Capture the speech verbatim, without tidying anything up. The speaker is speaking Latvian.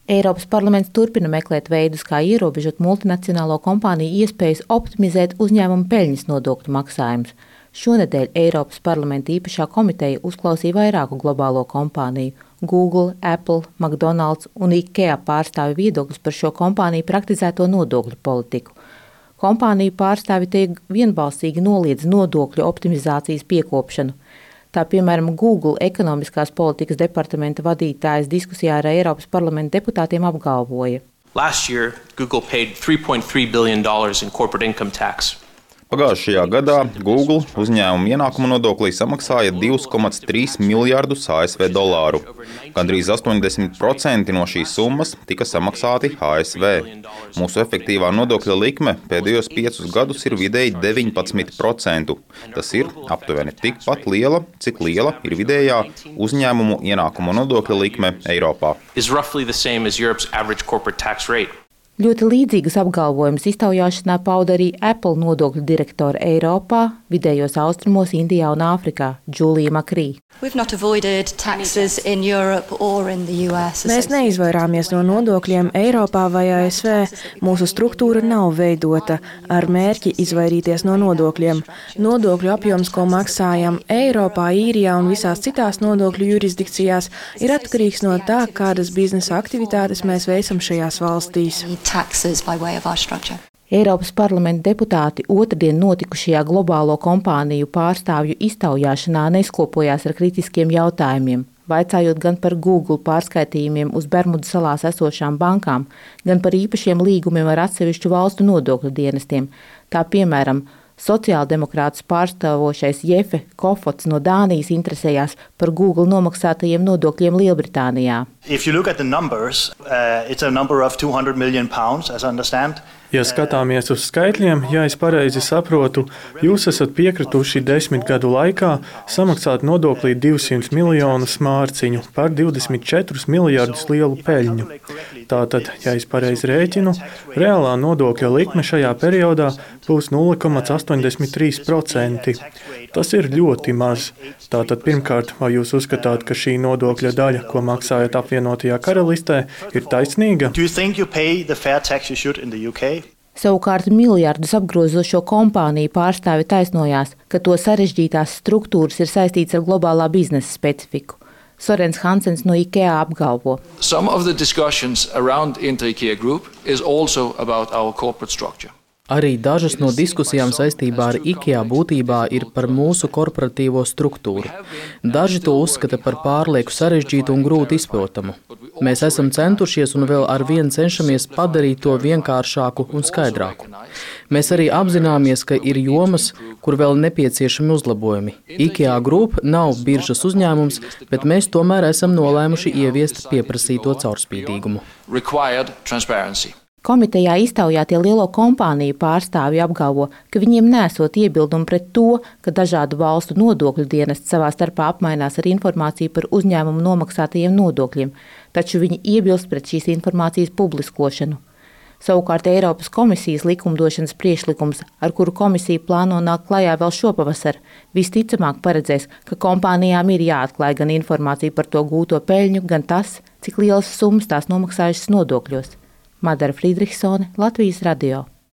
Eiropas parlaments turpina meklēt veidus, kā ierobežot multinacionālo kompāniju iespējas optimizēt uzņēmumu peļņas nodokļu maksājumus. Šonedēļ Eiropas parlamenta īpašā komiteja uzklausīja vairāku globālo kompāniju – Google, Apple, McDonald's un IKEA pārstāvju viedokļus par šo kompāniju praktizēto nodokļu politiku. Kompāniju pārstāvji tiek vienbalsīgi noliedz nodokļu optimizācijas piekopšanu. Tā, piemēram, Google ekonomiskās politikas departamenta vadītājs diskusijā ar Eiropas parlamenta deputātiem apgalvoja. Last year, Google paid three point three billion dollars in corporate income tax. Pagājušajā gadā Google uzņēmuma ienākuma nodoklī samaksāja divus komats trīs miljardus A S V dolāru. Gandrīz astoņdesmit procenti no šīs summas tika samaksāti A S V. Mūsu efektīvā nodokļa likme pēdējos piecus gadus ir vidēji deviņpadsmit procenti. Tas ir aptuveni tikpat liela, cik liela ir vidējā uzņēmumu ienākuma nodokļa likme Eiropā. Ļoti līdzīgus apgalvojumus iztaujāšanā pauda arī Apple nodokļu direktora Eiropā, Vidējos Austrumos, Indijā un Āfrikā Džulija Makrī. Mēs neizvairāmies no nodokļiem Eiropā vai A S V. Mūsu struktūra nav veidota ar mērķi izvairīties no nodokļiem. Nodokļu apjoms, ko maksājam Eiropā, Īrijā un visās citās nodokļu jurisdikcijās, ir atkarīgs no tā, kādas biznesa aktivitātes mēs veicam šajās valstīs. Eiropas parlamenta deputāti otrdien notikušajā globālo kompāniju pārstāvju iztaujāšanā neskopojās ar kritiskiem jautājumiem, vaicājot gan par Google pārskaitījumiem uz Bermudu salās esošām bankām, gan par īpašiem līgumiem ar atsevišķu valstu nodokļu dienestiem. Tā piemēram, sociāldemokrātus pārstāvošais Jefe Kofots no Dānijas interesējās par Google nomaksātajiem nodokļiem Lielbritānijā. Numbers, uh, Ja skatāmies uz skaitļiem, ja es pareizi saprotu, jūs esat piekrituši desmit gadu laikā samaksāt nodoklī divsimt miljonus mārciņu par divdesmit četrus miljardus lielu peļņu. Tātad, ja es pareizi rēķinu, reālā nodokļa likme šajā periodā būs nulle komats astoņdesmit trīs procenti. Tas ir ļoti maz. Tātad, pirmkārt, vai jūs uzskatāt, ka šī nodokļa daļa, ko maksājat apvienotajā karalistē, ir taisnīga? Savukārt miljardus apgrozošo kompāniju pārstāvi taisnojās, ka to sarežģītās struktūras ir saistīts ar globālā biznesa specifiku. Sorens Hansens no IKEA apgalvo. Some of the discussions around Inter-IKEA Group is also about our corporate structure. Arī dažas no diskusijām saistībā ar IKEA būtībā ir par mūsu korporatīvo struktūru. Daži to uzskata par pārlieku sarežģītu un grūti izprotamu. Mēs esam centušies un vēl ar vienu cenšamies padarīt to vienkāršāku un skaidrāku. Mēs arī apzināmies, ka ir jomas, kur vēl nepieciešami uzlabojumi. IKEA Group nav biržas uzņēmums, bet mēs tomēr esam nolēmuši ieviest pieprasīto caurspīdīgumu. Komitejā iztaujātie lielo kompāniju pārstāvji apgalvo, ka viņiem nesot iebildumu pret to, ka dažādu valstu nodokļu dienesti savā starpā apmainās ar informāciju par uzņēmumu nomaksātajiem nodokļiem, taču viņi iebilst pret šīs informācijas publiskošanu. Savukārt Eiropas komisijas likumdošanas priekšlikums, ar kuru komisija plāno nākt klajā vēl šopavasar, visticamāk paredzēs, ka kompānijām ir jāatklāj gan informācija par to gūto peļņu, gan tas, cik lielas summas tās nomaksājušas nodokļos. Madara Friedrichsone, Latvijas radio.